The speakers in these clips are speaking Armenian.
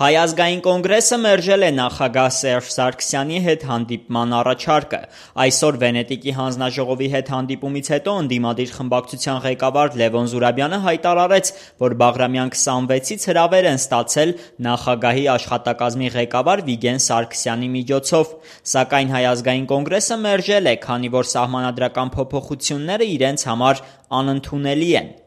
Հայ ազգային կոնգրեսը մերժել է նախագահ Սերժ Սարգսյանի հետ հանդիպման առաջարկը։ Այսօր Վենետիկի հանձնաժողովի հետ հանդիպումից հետո ընդդիմադիր խմբակցության ղեկավար Լևոն Զուրաբյանը հայտարարեց, որ Բաղրամյան 26-ից հրավեր են ստացել նախագահի աշխատակազմի ղեկավար Վիգեն Սարգսյանի միջոցով, սակայն Հայ ազգային կոնգրեսը մերժել է, քանի որ սահմանադրական փոփոխությունները իրենց համար անընդունելի են։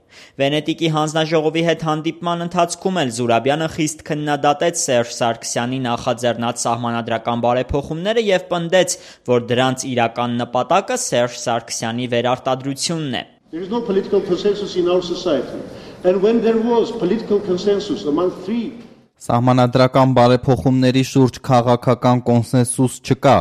Վենետիկի հանձնաժողովի հետ հանդիպման ընթացքում էլ Զուրաբյանը խիստ քննադատեց Սերժ Սարգսյանի նախաձեռնած սահմանադրական բարեփոխումները եւ պնդեց, որ դրանց իրական նպատակը Սերժ Սարգսյանի վերարտադրությունն է։ There is no political consensus in our society. And when there was political consensus among three Սահմանադրական բարեփոխումների շուրջ քաղաքական կոնսենսուս չկա։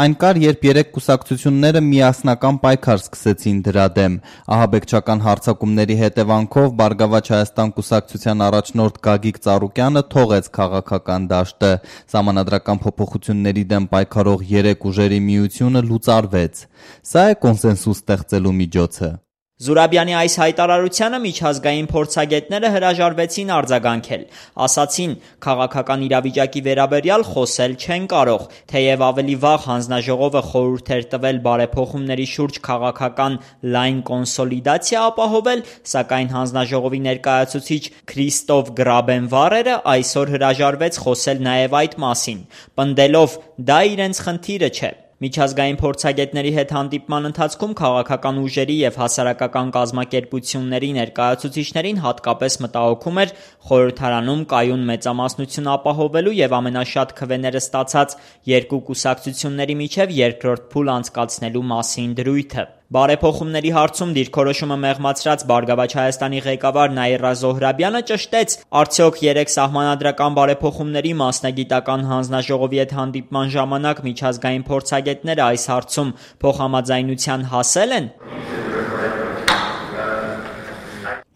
Այն կար, երբ երեք կուսակցությունները միասնական պայքար սկսեցին դրա դեմ։ Ահաբեկչական հարձակումների հետևանքով Բարգավաճ Հայաստան կուսակցության առաջնորդ Գագիկ Ծառուկյանը թողեց քաղաքական դաշտը։ Սահմանադրական փոփոխությունների դեմ պայքարող երեք ուժերի միությունը լուծարվեց։ Սա է կոնսենսուս ստեղծելու միջոցը։ Զուրաբյանի այս հայտարարությանը միջազգային փորձագետները հրաժարվեցին արձագանքել, ասացին, քաղաքական իրավիճակի վերաբերյալ խոսել չեն կարող, թեև ավելի վաղ հանձնաժողովը խորհուրդ էր տվել բարեփոխումների շուրջ քաղաքական լայն կոնսոլիդացիա ապահովել, սակայն հանձնաժողովի ներկայացուցիչ Քրիստոֆ Գրաբենվարերը այսօր հրաժարվեց խոսել նաև այդ մասին, պնդելով՝ դա իրենց խնդիրը չէ։ Միջազգային փորձագետների հետ հանդիպման ընթացքում քաղաքական ուժերի եւ հասարակական կազմակերպությունների ներկայացուցիչներին հատկապես մտահոգում էր խորհրդարանում կայուն մեծամասնություն ապահովելու եւ ամենաշատ քվեները ստացած երկու կուսակցությունների միջև երկրորդ փուլ անցկացնելու մասին դրույթը։ Բարեփոխումների հարցում դիրքորոշումը մեղմացրած Բարգավաճ Հայաստանի ղեկավար Նաիրա Զոհրաբյանը ճշտեց, արդյոք երեք սահմանադրական բարեփոխումների մասնագիտական հանձնաժողովի հետ հանդիպման ժամանակ միջազգային փորձագետները այս հարցում փոխհամաձայնության հասել են։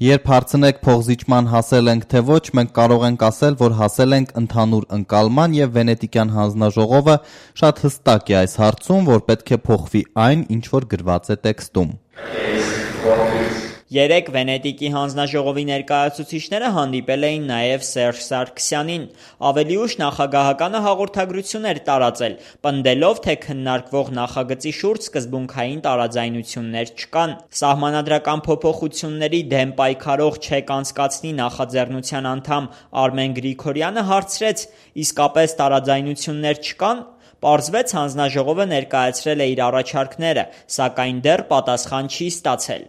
Երբ հարցնեք փոխզիջման հասել ենք թե ոչ, մենք կարող ենք ասել, որ հասել ենք ընդհանուր ընկալման եւ Վենետիկյան հանձնաժողովը շատ հստակ է այս հարցում, որ պետք է փոխվի այն, ինչ որ գրված է տեքստում։ Երեք Վենետիկի հանձնաժողովի ներկայացուցիչները հանդիպել էին նաև Սերժ Սարգսյանին։ Ավելի ուշ նախագահականը հաղորդագրություն էր տարածել, պնդելով, թե քննարկվող նախագծի շուրջ սկզբունքային տարաձայնություններ չկան։ Սահմանադրական փոփոխությունների դեմ պայքարող ՉԵԿ անցկացնի նախաձեռնության անդամ Արմեն Գրիգորյանը հարցրեց՝ իսկապես տարաձայնություններ չկան։ Պարզվեց հանձնաժողովը ներկայացրել է իր առաջարկները, սակայն դեռ պատասխան չի ստացել։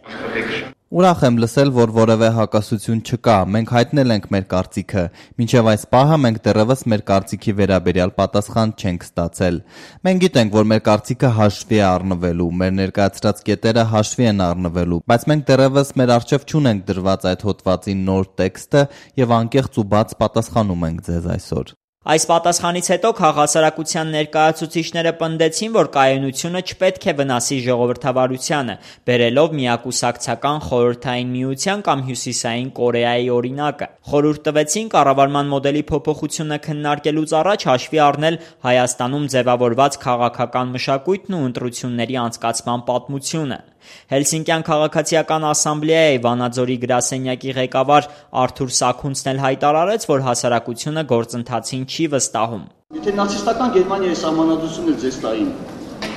Ուրախ եմ լսել, որ որևէ հակասություն չկա, մենք հայտնել ենք մեր կարծիքը, մինչև այս պահը մենք դեռևս մեր կարծիքի վերաբերյալ պատասխան չենք ստացել։ Մենք գիտենք, որ մեր կարծիքը հաշվի է առնվելու, մեր ներկայացրած կետերը հաշվի են առնվելու, բայց մենք դեռևս մեր առջև չունենք դրված այդ հոդվածի նոր տեքստը եւ անկեղծ ու բաց պատասխանում ենք ձեզ այսօր։ Այս պատասխանից հետո քաղաքասարակության ներկայացուցիչները պնդեցին, որ կայունությունը չպետք է վնասի ժողովրդավարությանը, բերելով միակուսակցական խորհրդային միության կամ Հյուսիսային Կորեայի օրինակը։ Խորհուրդ տվեցին կառավարման մոդելի փոփոխությունը քննարկելուց առաջ հաշվի առնել Հայաստանում ձևավորված քաղաքական մշակույթն ու ընտրությունների անցկացման պատմությունը։ Հելսինկյան քաղաքացիական ասամբլեայի Վանաձորի գրասենյակի ղեկավար Արթուր Սաքունցն էլ հայտարարեց, որ հասարակությունը գործընթացին չի վստահում։ Եթե նացիստական Գերմանիայի սահմանադրությունը ձեզ տային,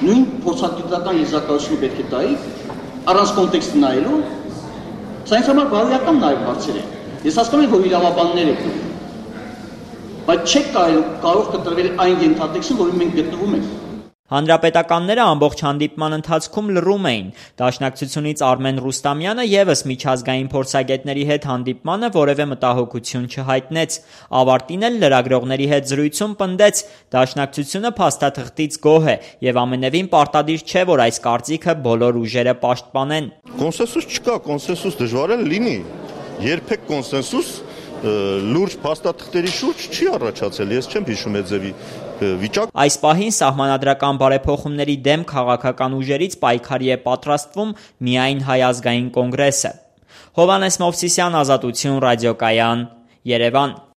նույն փորձագիտական եզրակացությունը պետք է տայի, առանց կոնտեքստը նայելու, սա ինձ համար բարոյական նաև հարցեր է։ Ես հասկանում եմ, որ իրավաբաններ եք, բայց չեք կարող կտրվել այն ենթատեքստը, որին մենք գտնվում ենք։ Հանրապետականները ամբողջ հանդիպման ընթացքում լռում էին։ Դաշնակցությունից Արմեն Ռուստամյանը ևս միջազգային փորձագետների հետ հանդիպմանը որևէ մտահոգություն չհայտնեց։ Ավարտին էլ լրագրողների հետ զրույցում պնդեց՝ դաշնակցությունը փաստաթղթից գոհ է եւ ամենևին պարտադիր չէ, որ այս կարծիքը բոլոր ուժերը պաշտպանեն։ Կոնսենսուս չկա, կոնսենսուս դժվար է լինի։ Երբեք կոնսենսուս լուրջ փաստաթղթերի շուրջ չի առաջացել, ես չեմ հիշում այդ ձևի վիճակ։ Այս պահին սահմանադրական բարեփոխումների դեմ քաղաքական ուժերից պայքարի է պատրաստվում միայն Հայ ազգային կոնգրեսը։ Հովհաննես Մովսիսյան, Ազատություն ռադիոկայան, Երևան։